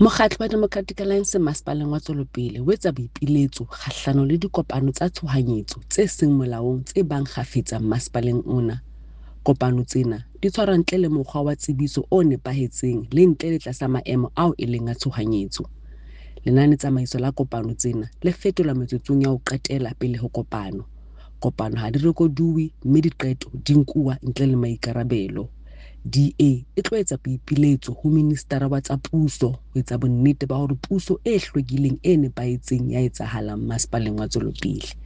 Mokgatlo wa Democratic Alliance Masepaleng wa Tswelopele o etsa boipiletso kgahlano le dikopano tsa tshohanyetso tse seng molaong tse bang kgafetsa masepaleng ona. Kopano tsena di tshwarwa ntle le mokgwa wa tsebiso o nepahetseng le ntle le tlasa maemo ao e leng a tshohanyetso. Lenanetsamaiso la kopano tsena le fetolwa metsotsong ya ho qetela pele ho kopano. Kopano ha di rekoduwe mme diqeto di nkuwa ntle le maikarabelo. DA e tlo etsa boipiletso ho Ministara wa tsa Puso ho etsa bonnete ba hore puso e hlwekileng e nepahetseng ya etsahala masepaleng wa Tswelopele.